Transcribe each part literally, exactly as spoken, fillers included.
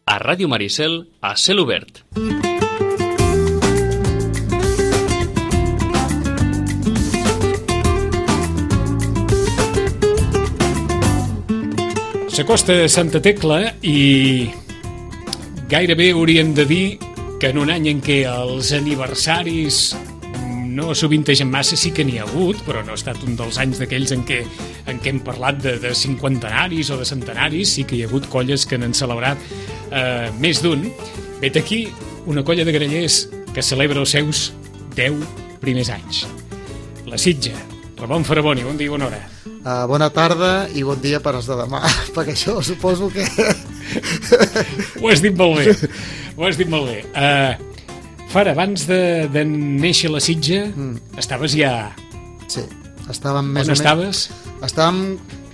a Ràdio Maricel, a cel obert. S'acosta Santa Tecla i gairebé hauríem de dir que en un any en què els aniversaris no sovintegen massa, sí que n'hi ha hagut, però no ha estat un dels anys d'aquells en què, en què hem parlat de, de cinquantenaris o de centenaris, sí que hi ha hagut colles que n'han celebrat eh, més d'un. Vet aquí una colla de grallers que celebra els seus deu primers anys. La Sitja. Ramon Faraboni, bon dia i bona hora. Uh, bona tarda i bon dia per als de demà, perquè això suposo que... Ho has dit molt bé, ho has dit molt bé. Uh, Fara, abans de, de néixer la Sitja, mm. estaves ja... Sí, estàvem més On o menys... estaves? Estàvem,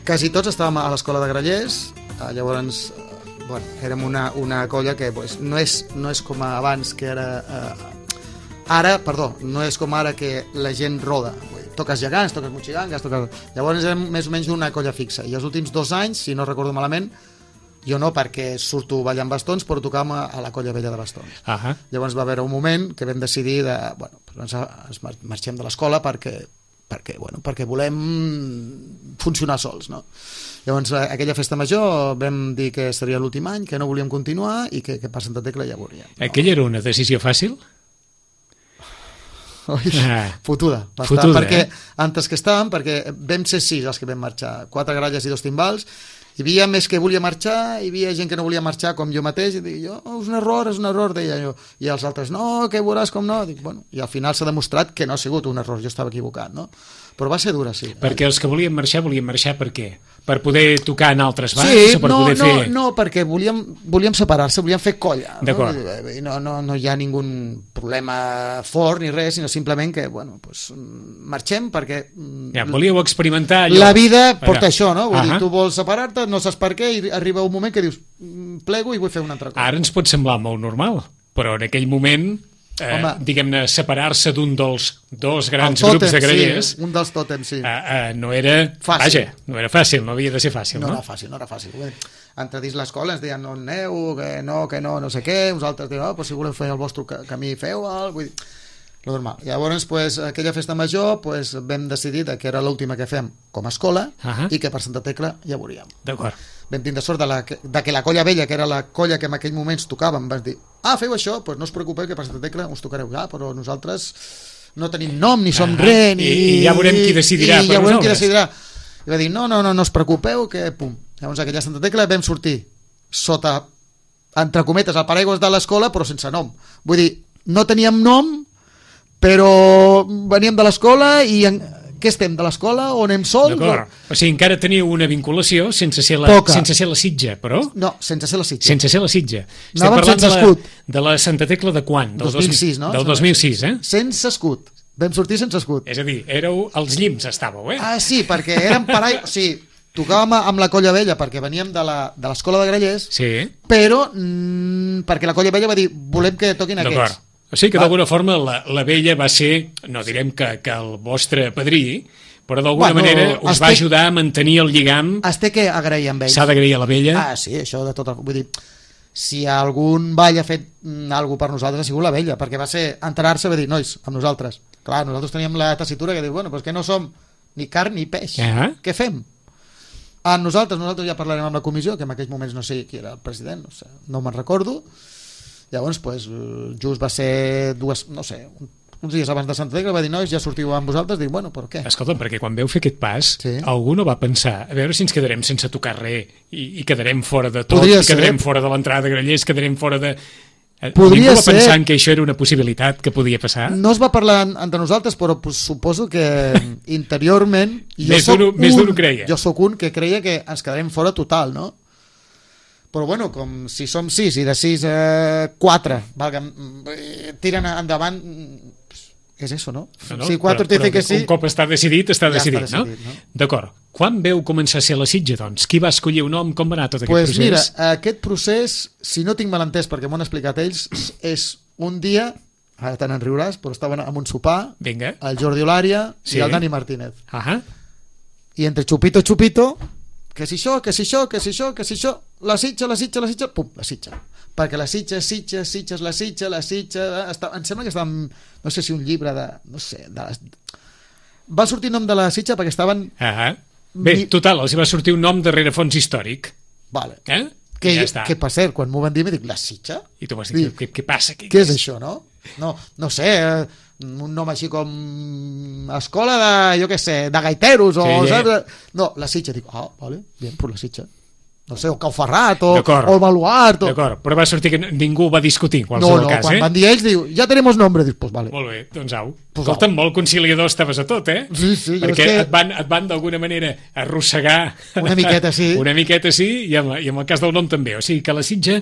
quasi tots estàvem a l'escola de grallers, uh, llavors, uh, bueno, érem una, una colla que pues, no, és, no és com abans, que era... Uh, ara, perdó, no és com ara que la gent roda, toques gegants, toques motxigangues, toques... Llavors érem més o menys d'una colla fixa. I els últims dos anys, si no recordo malament, jo no, perquè surto ballant bastons, però tocàvem a la colla vella de bastons. Uh -huh. Llavors va haver un moment que vam decidir de... Bueno, ens, ens marxem de l'escola perquè, perquè, bueno, perquè volem funcionar sols, no? Llavors, aquella festa major vam dir que seria l'últim any, que no volíem continuar i que, que per Santa Tecla ja veuríem. No? Aquella era una decisió fàcil? Ah, fotuda, bastant, fotuda perquè eh? antes que estàvem, perquè vam ser sis els que vam marxar, quatre gralles i dos timbals, hi havia més que volia marxar, hi havia gent que no volia marxar com jo mateix, i dic jo, oh, és un error, és un error, deia jo, i els altres, no, que veuràs com no, dic, bueno, i al final s'ha demostrat que no ha sigut un error, jo estava equivocat, no? Però va ser dura, sí. Perquè els que volien marxar, volien marxar per què? Per poder tocar en altres bars? Sí, o per no, poder no, fer... no, perquè volíem, volíem separar-se, volíem fer colla. D'acord. No? No, no, no hi ha ningun problema fort ni res, sinó simplement que, bueno, pues, marxem perquè... Ja, volíeu experimentar allò. La vida porta allà. Això, no? Vull uh -huh. dir, tu vols separar-te, no saps per què, i arriba un moment que dius, plego i vull fer una altra cosa. Ara ens pot semblar molt normal, però en aquell moment... Eh, diguem-ne, separar-se d'un dels dos grans tòtem, grups de grallers, sí, un dels tòtems, sí. eh, eh, no era fàcil. Vaja, no era fàcil, no havia de ser fàcil, no? No era fàcil, no era fàcil. Entre dins l'escola ens deien, no aneu, que no, que no, no sé què, uns altres diuen, oh, però si voleu fer el vostre camí, feu-el, vull dir, lo normal. Llavors, pues, aquella festa major, pues, vam decidir que era l'última que fem com a escola uh -huh. i que per Santa Tecla ja veuríem. D'acord. Vam tindre sort de, la, de que la colla vella, que era la colla que en aquell moments tocàvem, vas dir, ah, feu això, doncs no us preocupeu que per Santa Tecla us tocareu ja, però nosaltres no tenim nom, ni som uh -huh. res, ni... I, I ja veurem qui decidirà i per ja veurem nosaltres. qui decidirà. I va dir, no, no, no, no us preocupeu, que pum. Llavors aquella Santa Tecla vam sortir sota, entre cometes, el paraigües de l'escola, però sense nom. Vull dir, no teníem nom, però veníem de l'escola i... En... Què estem, de l'escola o anem sols? D'acord, o sigui, encara teniu una vinculació sense ser la, sense ser la Sitja, però... No, sense ser la Sitja. Sense ser la Sitja. Estem Anàvem parlant sense de la, escut. de la Santa Tecla de quan? Del dos mil sis, no? Del dos mil sis, eh? Sense escut. Vam sortir sense escut. És a dir, éreu als llims, estàveu, eh? Ah, sí, perquè érem parai... O sigui, tocàvem amb la colla vella perquè veníem de l'escola de, de grallers, sí. però mm, perquè la colla vella va dir, volem que toquin aquests. O sigui que d'alguna forma la, la vella va ser, no direm que, que el vostre padrí, però d'alguna bueno, manera us va ajudar a mantenir el lligam. Es té que agrair amb ells. S'ha d'agrair a la vella. Ah, sí, això de tot el... Vull dir, si algun ball ha fet alguna cosa per nosaltres ha sigut la vella, perquè va ser enterar-se i va dir, nois, amb nosaltres. Clar, nosaltres teníem la tessitura que diu, bueno, doncs que no som ni carn ni peix. Uh-huh. Què fem? A nosaltres, nosaltres ja parlarem amb la comissió, que en aquells moments no sé qui era el president, no sé, no me'n recordo. Llavors, pues, just va ser dues, no sé, uns dies abans de Santa Tecla va dir, nois, ja sortiu amb vosaltres, dic, bueno, però què? Escolta'm, perquè quan veu fer aquest pas, sí. algú no va pensar, a veure si ens quedarem sense tocar res i, i quedarem fora de tot, Podria i quedarem ser. fora de l'entrada de grallers, quedarem fora de... Podria Ningú va ser. pensar que això era una possibilitat que podia passar? No es va parlar entre nosaltres, però pues, suposo que interiorment... Més d'un ho creia. Jo sóc un que creia que ens quedarem fora total, no? Però bueno, com si som sis i de sis a quatre tiren endavant, és això, no? no, no si quatre però, però que sí, un cop està decidit, està ja decidit, està decidit, no? no? D'acord. Quan veu començar a ser la Sitja, doncs? Qui va escollir un nom? Com va anar tot aquest pues procés? Mira, aquest procés, si no tinc mal entès, perquè m'ho han explicat ells, és un dia, ara te n'en riuràs, però estaven amb un sopar, Vinga. el Jordi Olària sí. i el Dani Martínez. Ahà. I entre xupito, xupito, que si això, que si això, que si això, que si això, la Sitja, la Sitja, la Sitja, pum, la Sitja. Perquè la Sitja, Sitja, Sitja, la Sitja, la Sitja... Està, em sembla que estava, no sé si un llibre de... no sé, de les... Va sortir nom de la Sitja perquè estaven... Ah, bé, mi... total, els va sortir un nom darrere fons històric. Vale. Eh? Que, ja està. que per cert, quan m'ho van dir, m'he dit, la Sitja? I tu vas dir, què, què passa? Què, què és això, no? No, no sé, un nom així com escola de, jo què sé, de gaiteros o, sí, saps? No, la Sitja, dic, ah, vale, bien, pues la Sitja. No sé, o Cauferrat o, o el Baluart o... D'acord, però va sortir que ningú va discutir en no, qualsevol no, cas, quan eh? van dir ells, diu, ja tenemos nombre, dius, pues vale. Molt bé, doncs au. Pues Escolta, au. molt conciliador estaves a tot, eh? Sí, sí, jo perquè és que... et van, et van d'alguna manera arrossegar una miqueta, sí. una miqueta, sí, i en, i en el cas del nom també. O sigui que la Sitja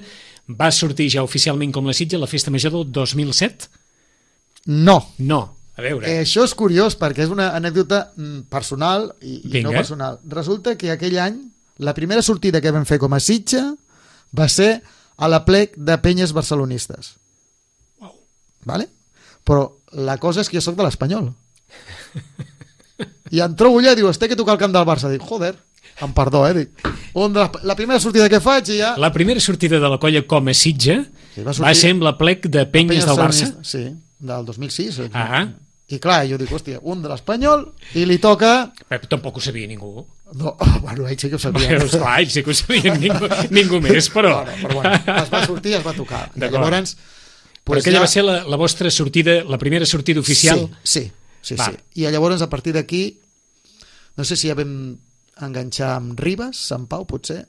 va sortir ja oficialment com la Sitja a la Festa Major del dos mil set? No. No, a veure. Eh, això és curiós perquè és una anècdota personal i, i no Vinga. personal. Resulta que aquell any la primera sortida que vam fer com a Sitja va ser a la plec de penyes barcelonistes. Wow. Vale? Però la cosa és que jo soc de l'Espanyol. I em trobo allà i diu, este que tocar el camp del Barça. Dic, joder, em perdó, eh? Dic, on de la, la primera sortida que faig i ja... La primera sortida de la colla com a Sitja Sí, va, va ser amb la plec de penyes del Barça? Sí, del dos mil sis. Ah. I clar, jo dic, hòstia, un de l'Espanyol i li toca... Però tampoc ho sabia ningú. No, oh, bueno, ells sí que ho sabien. Bueno, esclar, ells sí que ho sabien, ningú, ningú més, però... No, no, però bueno, es va sortir i es va tocar. I llavors... Però pues aquella ja... va ser la, la vostra sortida, la primera sortida oficial? Sí, sí, sí, sí. I llavors a partir d'aquí, no sé si ja vam enganxar amb Ribes, Sant Pau, potser,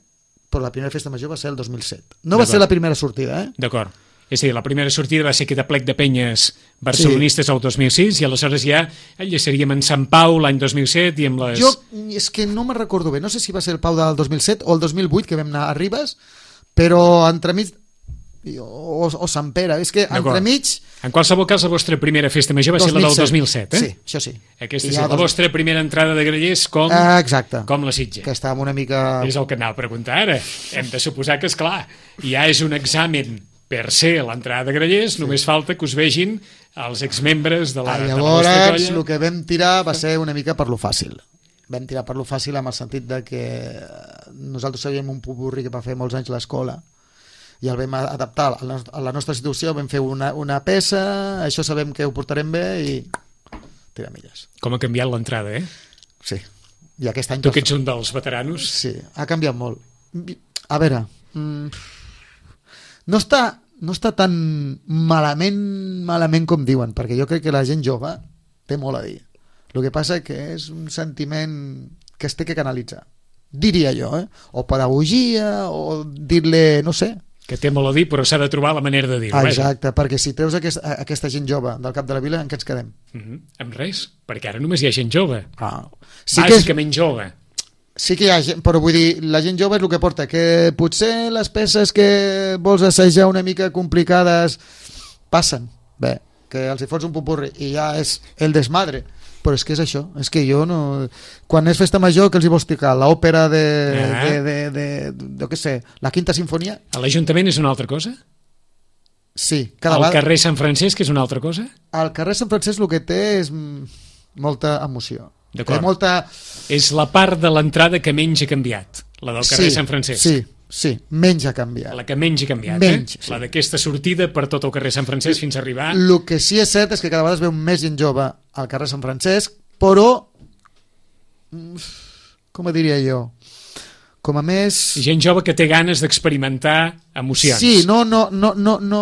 però la primera festa major va ser el dos mil set. No va ser la primera sortida, eh? D'acord. És a dir, la primera sortida va ser aquesta plec de penyes barcelonistes sí. El dos mil sis i aleshores ja enllaçaríem en Sant Pau l'any dos mil set i amb les... Jo és que no me'n recordo bé, no sé si va ser el Pau del dos mil set o el dos mil vuit que vam anar a Ribes, però entremig... O, o Sant Pere, és que entremig... En qualsevol cas, la vostra primera festa major va ser la del dos mil set, eh? Sí, això sí. Aquesta és la dos... vostra primera entrada de grellers com, ah, exacte. Com la Sitja. Que estava una mica... És el que anava a preguntar ara. Hem de suposar que, és clar, ja és un examen per ser l'entrada de grellers, sí. Només falta que us vegin els exmembres de la, ah, de la vostra colla. Llavors, el que vam tirar va ser una mica per lo fàcil. Vam tirar per lo fàcil amb el sentit de que nosaltres sabíem un popurri que va fer molts anys a l'escola i el vam adaptar a la nostra situació, vam fer una, una peça, això sabem que ho portarem bé i tirar milles. Com ha canviat l'entrada, eh? Sí. I aquest any... Tu que ets un dels veteranos. Sí, ha canviat molt. A veure, no està, no està tan malament, malament com diuen, perquè jo crec que la gent jove té molt a dir. El que passa que és un sentiment que es té que canalitzar. Diria jo, eh? O pedagogia, o dir-li, no sé... Que té molt a dir, però s'ha de trobar la manera de dir-ho. Exacte, vaja. Perquè si treus aquesta, aquesta gent jove del cap de la vila, en què ens quedem? Uh -huh. Amb res, perquè ara només hi ha gent jove. Ah. Sí Bàsicament és... jove. Sí que hi ha gent, però vull dir, la gent jove és el que porta, que potser les peces que vols assajar una mica complicades passen, bé, que els hi fots un popurri i ja és el desmadre. Però és que és això, és que jo no... Quan és festa major, que els hi vols tocar? L'òpera de, ah. de, de, de, de, de, què sé, la Quinta Sinfonia? A l'Ajuntament és una altra cosa? Sí. Cada Al vegada... carrer Sant Francesc és una altra cosa? Al carrer Sant Francesc el que té és molta emoció. D'acord. Molta... És la part de l'entrada que menys ha canviat, la del carrer sí, Sant Francesc. Sí, sí, menys ha canviat. La que menys ha canviat, menys, eh? Sí. La d'aquesta sortida per tot el carrer Sant Francesc fins a arribar... El que sí és cert és que cada vegada es veu més gent jove al carrer Sant Francesc, però com ho diria jo, com a més... Gent jove que té ganes d'experimentar emocions. Sí, no, no, no, no, no,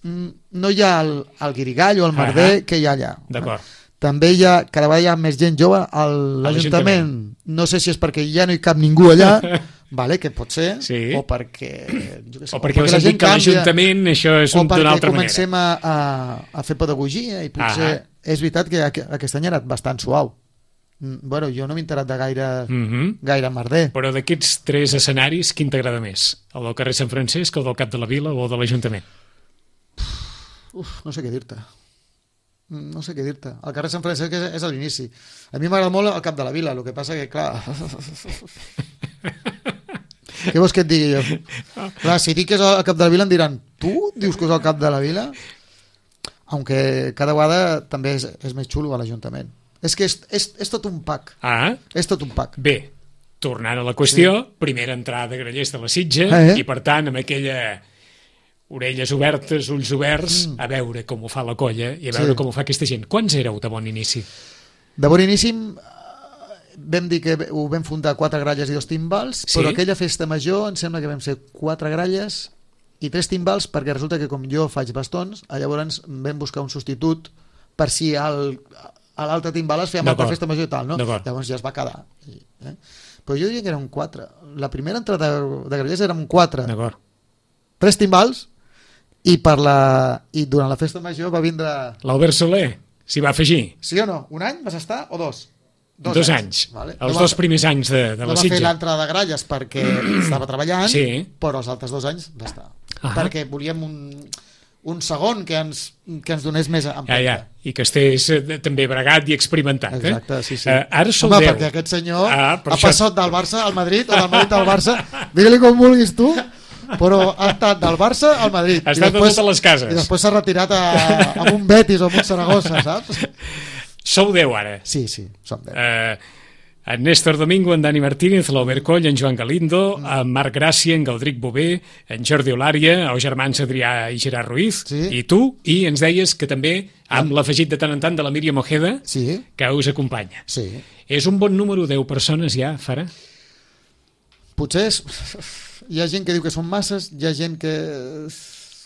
no hi ha el, el guirigall o el merder uh-huh. que hi ha allà. D'acord. També hi ha, cada vegada hi ha més gent jove a l'Ajuntament. No sé si és perquè ja no hi cap ningú allà, vale, que pot ser, sí. o perquè... Jo què sé, o perquè, o perquè la gent que a l'Ajuntament això és d'una altra manera. O perquè comencem a, a, a fer pedagogia i potser... Uh-huh. És veritat que aquest any ha anat bastant suau. Bueno, jo no m'he enterat de gaire, uh-huh. gaire merder. Però d'aquests tres escenaris, quin t'agrada més? El del carrer Sant Francesc, el del Cap de la Vila o el de l'Ajuntament? Uf, no sé què dir-te. No sé què dir-te. El carrer Sant Francesc és, és a l'inici. A mi m'agrada molt el Cap de la Vila, el que passa que, clar... Què vols que et digui jo? Clar, si dic que és el Cap de la Vila em diran, tu dius que és el Cap de la Vila? Aunque cada vegada també és, és més xulo a l'Ajuntament. És que és, és, és tot un pack. Ah. És tot un pack. Bé, tornant a la qüestió, sí. Primera entrada de Grallers de la Sitja, eh? I per tant, amb aquella orelles obertes, ulls oberts, mm. a veure com ho fa la colla i a veure sí. com ho fa aquesta gent. Quants éreu de bon inici? De bon inici vam dir que ho vam fundar quatre gralles i dos timbals, sí? Però aquella festa major em sembla que vam ser quatre gralles i tres timbals, perquè resulta que com jo faig bastons, llavors vam buscar un substitut per si el, a l'altre timbal es feia amb la festa major i tal, no? Llavors ja es va quedar. Eh? Però jo diria que eren quatre. La primera entrada de grallers érem quatre. Tres timbals i, per la... i durant la festa major va vindre... L'Albert Soler s'hi va afegir. Sí o no? Un any vas estar o dos? Dos, dos anys. anys. Vale. Els no dos va... primers anys de, de no la Sitja. No va fer l'entrada de gralles perquè estava treballant, sí. Però els altres dos anys va estar. Ah. Perquè volíem un... un segon que ens, que ens donés més empenta. Ja, ja. I que estigués eh, també bregat i experimentat. Exacte, eh? sí, sí. Uh, ara sou Home, deu. perquè aquest senyor ah, ha això... passat del Barça al Madrid o del Madrid al Barça, digue-li com vulguis tu, però ha estat del Barça al Madrid. Ha estat de totes les cases. I després s'ha retirat a, a un Betis o a un Saragossa, saps? Sou deu ara. Sí, sí, som deu. Uh, en Néstor Domingo, en Dani Martínez, l'Albert Coll, en Joan Galindo, mm. en Marc Gràcia, en Galdric Bové, en Jordi Olària, els germans Adrià i Gerard Ruiz, sí. I tu, i ens deies que també, amb ah. l'afegit de tant en tant de la Míriam Ojeda, sí. Que us acompanya. Sí. És un bon número, deu persones ja, Fara? Potser és... hi ha gent que diu que són masses, hi ha gent que...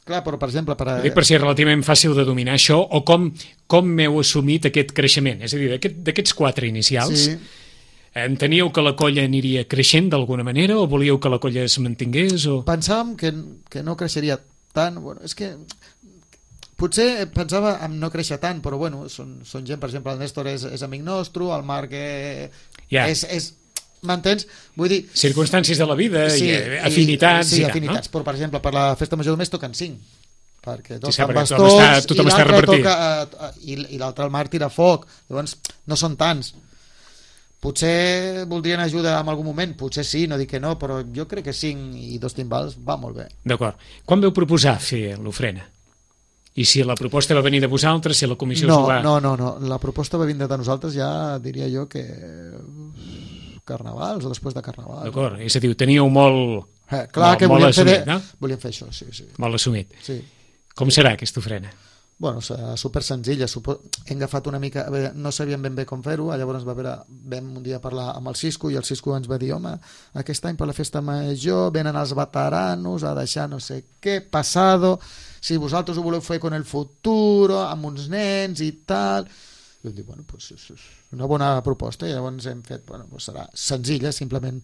Clar, però per exemple... Per, a... per si és relativament fàcil de dominar això, o com, com m'heu assumit aquest creixement? És a dir, d'aquest, d'aquests quatre inicials... Sí. Enteníeu que la colla aniria creixent d'alguna manera o volíeu que la colla es mantingués? O... Pensàvem que, que no creixeria tant. Bueno, és que potser pensava en no créixer tant, però bueno, són, són gent, per exemple, el Néstor és, és amic nostre, el Marc eh, yeah. és... és m'entens? Vull dir... Circumstàncies de la vida, sí, i afinitats... I, sí, i afinitats, no? Però per exemple, per la festa major només toquen cinc, perquè toquen sí, bastons està, tothom i l'altre toca, uh, i, i l'altre el Marc tira foc, llavors no són tants. Potser voldrien ajuda en algun moment, potser sí, no dic que no, però jo crec que cinc i dos timbals va molt bé. D'acord. Quan veu proposar fer l'ofrena? I si la proposta va venir de vosaltres, si la comissió no, s'ho va... No, no, no, la proposta va venir de nosaltres ja, diria jo que carnavals o després de carnaval. D'acord, és a dir, teníeu molt... Eh, clar molt, que volíem, assumit, fer, no? volíem fer això, sí, sí. Molt assumit. Sí. Com serà aquesta ofrena? Bueno, super senzilla. Hem agafat una mica... No sabíem ben bé com fer-ho, llavors va haver, vam un dia parlar amb el Cisco i el Cisco ens va dir, home, aquest any per la festa major venen els veteranos a deixar no sé què, passado, si vosaltres ho voleu fer con el futuro, amb uns nens i tal... I vam dir, bueno, pues és una bona proposta, i llavors hem fet, bueno, pues serà senzilla, simplement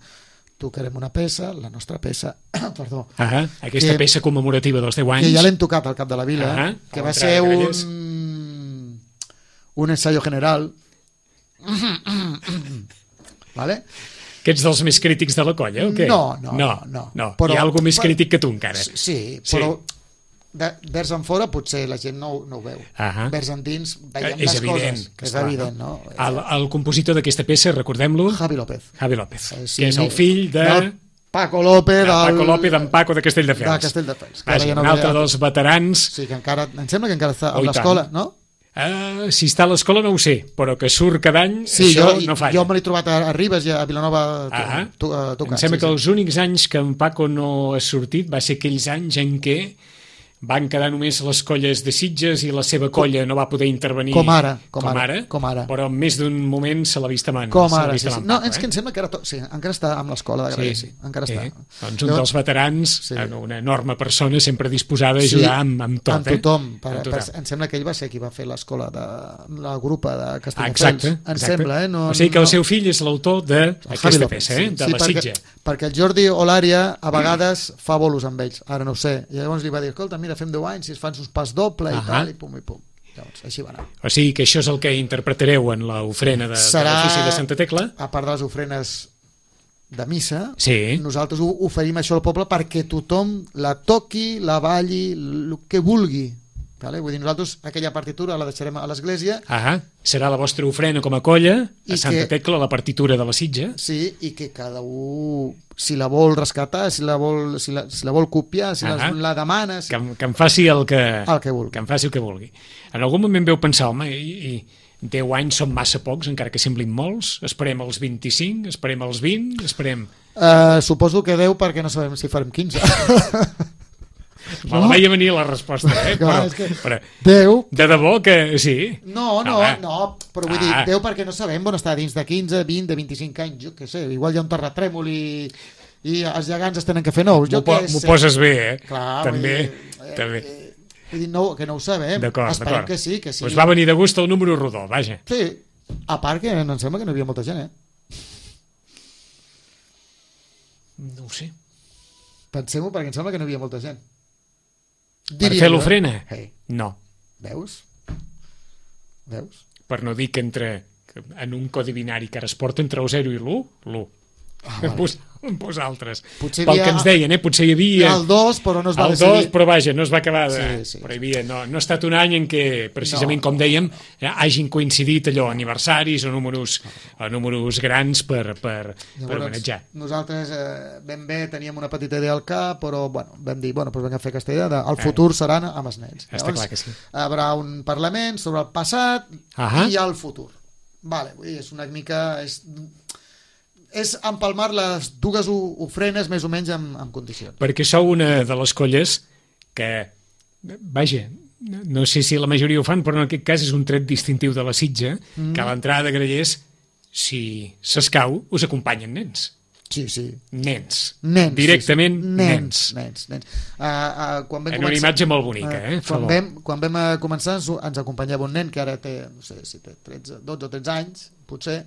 tocarem una peça, la nostra peça, perdó. Ah, aquesta que, peça commemorativa dels deu anys. Que ja l'hem tocat al Cap de la Vila, ah, que va ser un, un ensayo general. ¿Vale? Que ets dels més crítics de la colla, o què? No, no, no. no. no. Però, hi ha algú més però, crític que tu, encara. Sí, però... Sí. De, vers en fora potser la gent no, no ho veu. Uh-huh. Vers endins veiem és més evident, coses. És evident, no? El, el compositor d'aquesta peça, recordem-lo? Javi López. Javi López, eh, sí, que és el fill de... Del Paco López. De Paco López, d'en Paco de Castelldefels. De Castelldefels. Vaja, ja no un altre ha... dels veterans. Sí, que encara, em sembla que encara està a l'escola, no? Uh, si està a l'escola no ho sé, però que surt cada any, sí, això jo, no falla. Jo me l'he trobat a, a Ribes i a Vilanova ah, tocant. Em sembla sí, que sí. els únics anys que en Paco no ha sortit va ser aquells anys en què van quedar només les colles de Sitges i la seva colla com, no va poder intervenir com ara, com, com ara, ara, com ara, però en més d'un moment se l'ha vist a mans. Com ara, sí, sí. Paco, no, és eh? que em sembla que ara to... sí, encara està amb l'escola de Gràcia, sí, sí, encara sí. està. Doncs un Llavors, dels veterans, sí. Una enorme persona sempre disposada a ajudar sí, amb, amb tot. Amb tothom, eh? per, amb tothom. Per, em sembla que ell va ser qui va fer l'escola de la grupa de Castelldefels. Ah, exacte, em exacte. Sembla, eh? No, o sigui que no... el seu fill és l'autor d'aquesta peça, eh? De sí, la perquè, Sitja. Perquè el Jordi Olària a vegades fa bolos amb ells, ara no ho sé, i llavors li va dir, escolta, mira, fem deu anys, si es fan sus pas doble i tal, i pum, i pum. Llavors, així va anar. O sigui que això és el que interpretareu en l'ofrena de, Serà, de l'ofici de Santa Tecla? A part de les ofrenes de missa, sí. Nosaltres oferim això al poble perquè tothom la toqui, la balli, el que vulgui. Vale? Vull dir, nosaltres aquella partitura la deixarem a l'església. Ah, serà la vostra ofrena com a colla a Santa que, Tecla, la partitura de la Sitja. Sí, i que cada un, si la vol rescatar, si la vol, si la, si la vol copiar, si la, la demana... Si... Que, que em faci el que, el que vulgui. Que em faci el que vulgui. En algun moment veu pensar, home, i, i deu anys són massa pocs, encara que semblin molts. Esperem els vint-i-cinc, esperem els vint, esperem... Uh, suposo que deu perquè no sabem si farem quinze. Me la veia venir la resposta, eh? Clar, però, és que però, deu... de debò que sí. No, no, Ah, no, però vull ah. dir, deu perquè no sabem on està dins de quinze, vint, de vint-i-cinc anys, jo què sé, igual hi ha un terratrèmol i, i els gegants es tenen que fer nous, jo M'ho po què m'ho sé. poses bé, eh? Clar, també, vull dir, també. Eh, vull dir, no, que no ho sabem, D'acord, esperem d'acord. que sí, que sí. Pues va venir de gust el número rodó, vaja. Sí, a part que em sembla que no hi havia molta gent, eh? No ho sé. Pensem-ho perquè em sembla que no hi havia molta gent. Per fer jo. l'ofrena? Hey, No. veus? Veus? Per no dir que entre que en un codi binari que ara es porta entre el zero i l'u, l'u. Ah, En vale. pos, en pos altres. Potser Pel havia- que ens deien, eh? Potser hi havia... El dos, però no es va el decidir. dos, però vaja, no es va acabar de... Sí, sí, però hi havia, no, no ha estat un any en què, precisament No, com no, dèiem, eh, hagin coincidit allò, aniversaris o números, o números grans per, per, per Llavors, homenatjar. nosaltres eh, ben bé teníem una petita idea al cap, però bueno, vam dir, bueno, doncs vam fer aquesta idea de, el futur seran amb els nens. Està clar que sí. Hi haurà un parlament sobre el passat Ahà. i el futur. Vale, vull dir, és una mica... És, és empalmar les dues o- ofrenes més o menys en, en condicions. Perquè sou una de les colles que, vaja, no sé si la majoria ho fan, però en aquest cas és un tret distintiu de la Sitja, mm. que a l'entrada de Grallers, si s'escau, us acompanyen nens. Sí, sí. Nens. Nens. Directament sí, sí. nens. Nens, nens. Uh, uh, quan vam En una començar- imatge molt bonica, eh? Fa Quan bo. vam, quan vam eh, començar ens, ens acompanyava un nen que ara té, no sé si té tretze, dotze o tretze anys, potser,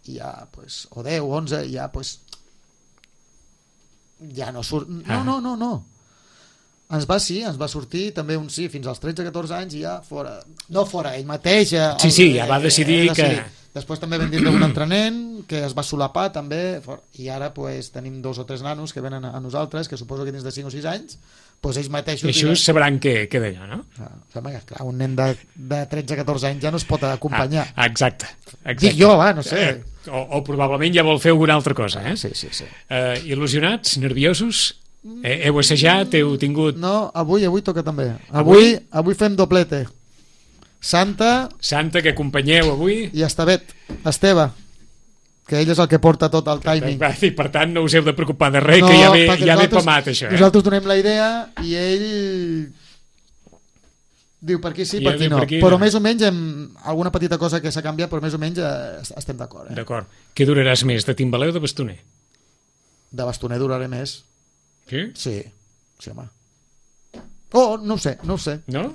i ja, pues, o deu, onze, i ja, pues, ja no surt... No, Ah. no, no, no. Ens va, sí, ens va sortir també un sí, fins als tretze catorze anys i ja fora. No fora, ell mateix... eh, Sí, el- sí, ja va decidir eh, que- Després també vam tindre un altre nen que es va solapar també, fora. I ara pues, tenim dos o tres nanos que venen a, a nosaltres, que suposo que dins de cinc o sis anys, pues, ells mateixos... I això diran- sabran què, què d'allò, no? Ah, sembla que, clar, un nen de, de tretze catorze anys ja no es pot acompanyar. Ah, exacte. exacte. Dic jo, va, no sé. Eh, o, o probablement ja vol fer alguna altra cosa, eh? Sí, sí, sí. Eh, il·lusionats, nerviosos? Eh, heu assajat, heu tingut... No, avui, avui toca també. Avui? Avui, avui fem doblete. Santa Santa, que acompanyeu avui? i Estevet. Esteve, que ell és el que porta tot el timing. Va, i per tant no us heu de preocupar de res, que ja ve, perquè ja ve nosaltres- pamat, això. Eh? Nosaltres donem la idea i ell diu per aquí sí, I per ell aquí diu no. per aquí però no. més o menys amb alguna petita cosa que s'ha canviat, però més o menys eh, estem d'acord. Eh? D'acord. Què duraràs més, de timbaler o de bastoner? De bastoner duraré més. Sí? Sí, sí, home. Oh, no ho sé, no ho sé. No?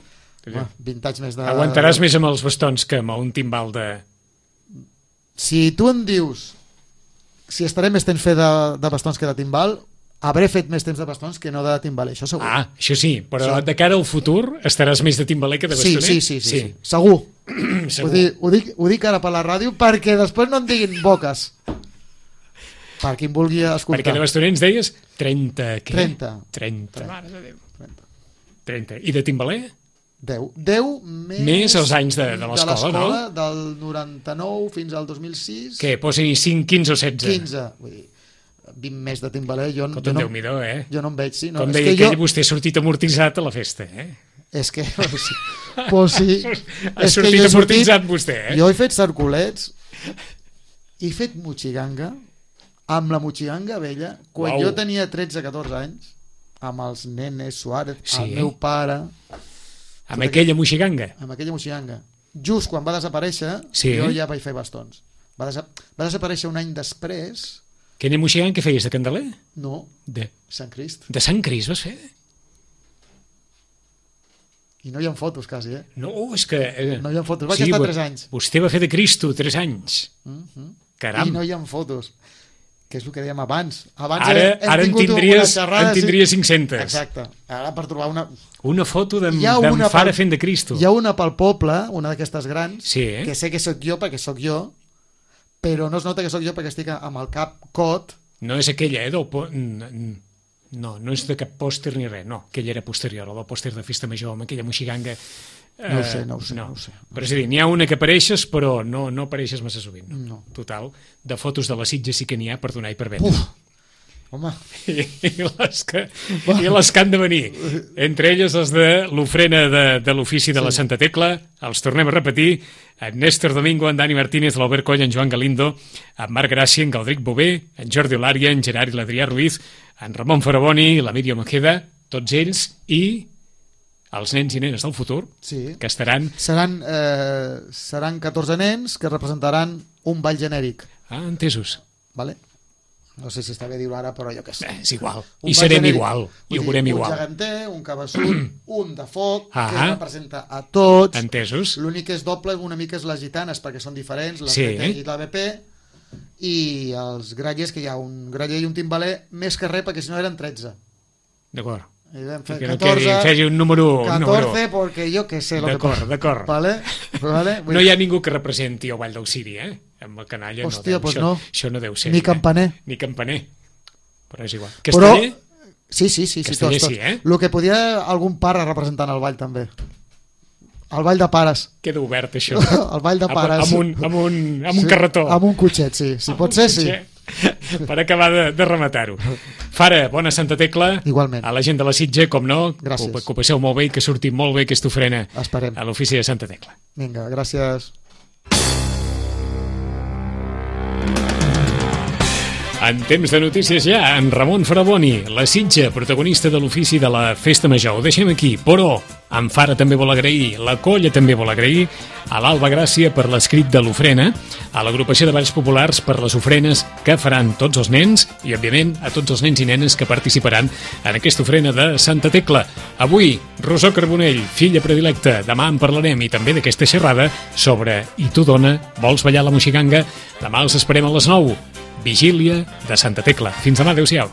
Home, vint anys més de... Aguantaràs més amb els bastons que amb un timbal de... Si tu em dius si estaré més temps fer de, de bastons que de timbal, hauré fet més temps de bastons que no de timbaler, això segur. Ah, això sí, però Sí. de cara al futur estaràs més de timbaler que de sí, bastoner? sí, sí, sí, sí. Segur. Segur. Ho, dic, ho, dic, ho dic ara per la ràdio perquè després no em diguin boques. Per qui em vulgui escoltar. Perquè de bastoner ens deies trenta, què? trenta. trenta. Mare de Déu. trenta. trenta. I de timbaler? deu. deu més... Més els anys de- de l'escola, no? del noranta-nou fins al dos mil sis. Què, posi cinc, quinze o setze? quinze. Vull dir, vint més de timbaler. Jo, Escolta, jo, no, Déu-n'hi-do, eh? jo no em veig, sí. No, Com és deia que aquell, jo, vostè ha sortit amortitzat a la festa, eh? És que... Sí. Pues sí. Ha És que sortit jo he amortitzat vostè, eh? Jo he fet circulets, he fet motxiganga, amb la motxiganga vella, quan Uau. jo tenia tretze catorze anys, amb els nenes Suárez, Sí. el meu pare, Amb aquella moixiganga. amb aquella motxiganga. Just quan va desaparèixer, Sí. jo ja vaig fer bastons. Va, desa va desaparèixer un any després, Aquella moixiganga que feies de Candeler? no, De, Sant Crist. de Sant Cris vas fer? I no hi ha fotos, quasi, eh? No, és que... Eh, No hi ha fotos. Vaig estar vo- tres anys. Vostè va fer de Cristo tres anys. Mhm. Caram. I no hi ha fotos. Que és el que dèiem abans. Abans Ara, hem ara en tingut una tindries, xerrada, en tindries cinc-centes. Exacte. Ara per trobar una... Una foto d'en Hi ha d'en una Fara pel- fent de Cristo. Hi ha una pel poble, una d'aquestes grans, Sí, eh? que sé que sóc jo perquè sóc jo, però no es nota que sóc jo perquè estic amb el cap cot. No és aquella, eh? Del po... n- n- No, no és de cap pòster ni res, no. Aquella era posterior, la del pòster de Festa Major, amb aquella moixiganga. No ho Eh, sé, no ho sé, no ho sé. Però és a dir, n'hi ha una que apareixes, però no, no apareixes massa sovint. No. No. Total, de fotos de la Sitja sí que n'hi ha per donar i per vendre. Uf, Home. I, i, les que, i les que han de venir. Entre elles els de l'ofrena de, de l'ofici de la Santa Tecla. Els tornem a repetir. En Néstor Domingo, en Dani Martínez, l'Albert Coll, en Joan Galindo, en Marc Gràcia, en Galdric Bové, en Jordi Olària, en Gerard i l'Adrià Ruiz, en Ramon Faraboni, la Míriam Ojeda, tots ells i els nens i nenes del futur, sí. que estaran... Seran, eh, seran catorze nens que representaran un ball genèric. Ah, entesos. Vale? No sé si està bé dir-ho ara, però jo què sé. Eh, és igual. Un I serem genèric, igual. I ho veurem un igual. Un geganter, un cabeçut, un de foc, ah, que representa a tots. Entesos. L'únic que és doble una mica és les gitanes, perquè són diferents, la sí. B P i la B P, i els grallers, que hi ha un graller i un timbaler, més que res, perquè si no eren tretze. D'acord. I vam fer que no catorze, quedi, fegi un número... catorze, perquè jo què sé. D'acord, d'acord. Vale? Vale? No hi ha ningú que representi el Ball d'Auxili, eh? Amb el canalla Hòstia, no deu, pues això, no. això no deu ser. Ni campaner. Eh? Ni campaner. Però és igual. Casteller? Però... Sí, sí, sí. Casteller sí, tots, tots. sí, eh? El que podia algun pare representant el ball, també. El ball de pares. Queda obert, això. El ball de pares. Amb, amb, un, amb, un, amb sí, un carretó. Amb un cotxet, sí. Si pot ser, sí. Per acabar de, de rematar-ho. Fara, bona Santa Tecla. Igualment. A la gent de la Sitja, com no. Gràcies. Que ho passeu molt bé i que surti molt bé aquesta ofrena. Esperem. A l'ofici de Santa Tecla. Vinga, gràcies. En temps de notícies ja, en Ramon Faraboni, la Sitja, protagonista de l'ofici de la Festa Major. Ho deixem aquí, però en Fara també vol agrair, la Colla també vol agrair, a l'Alba Gràcia per l'escrit de l'ofrena, a l'agrupació de Balls Populars per les ofrenes que faran tots els nens i, òbviament, a tots els nens i nenes que participaran en aquesta ofrena de Santa Tecla. Avui, Rosó Carbonell, filla predilecta, demà en parlarem i també d'aquesta xerrada sobre I tu, dona, vols ballar la moixiganga? Demà els esperem a les nou. Vigília de Santa Tecla. Fins demà, adeu-siau.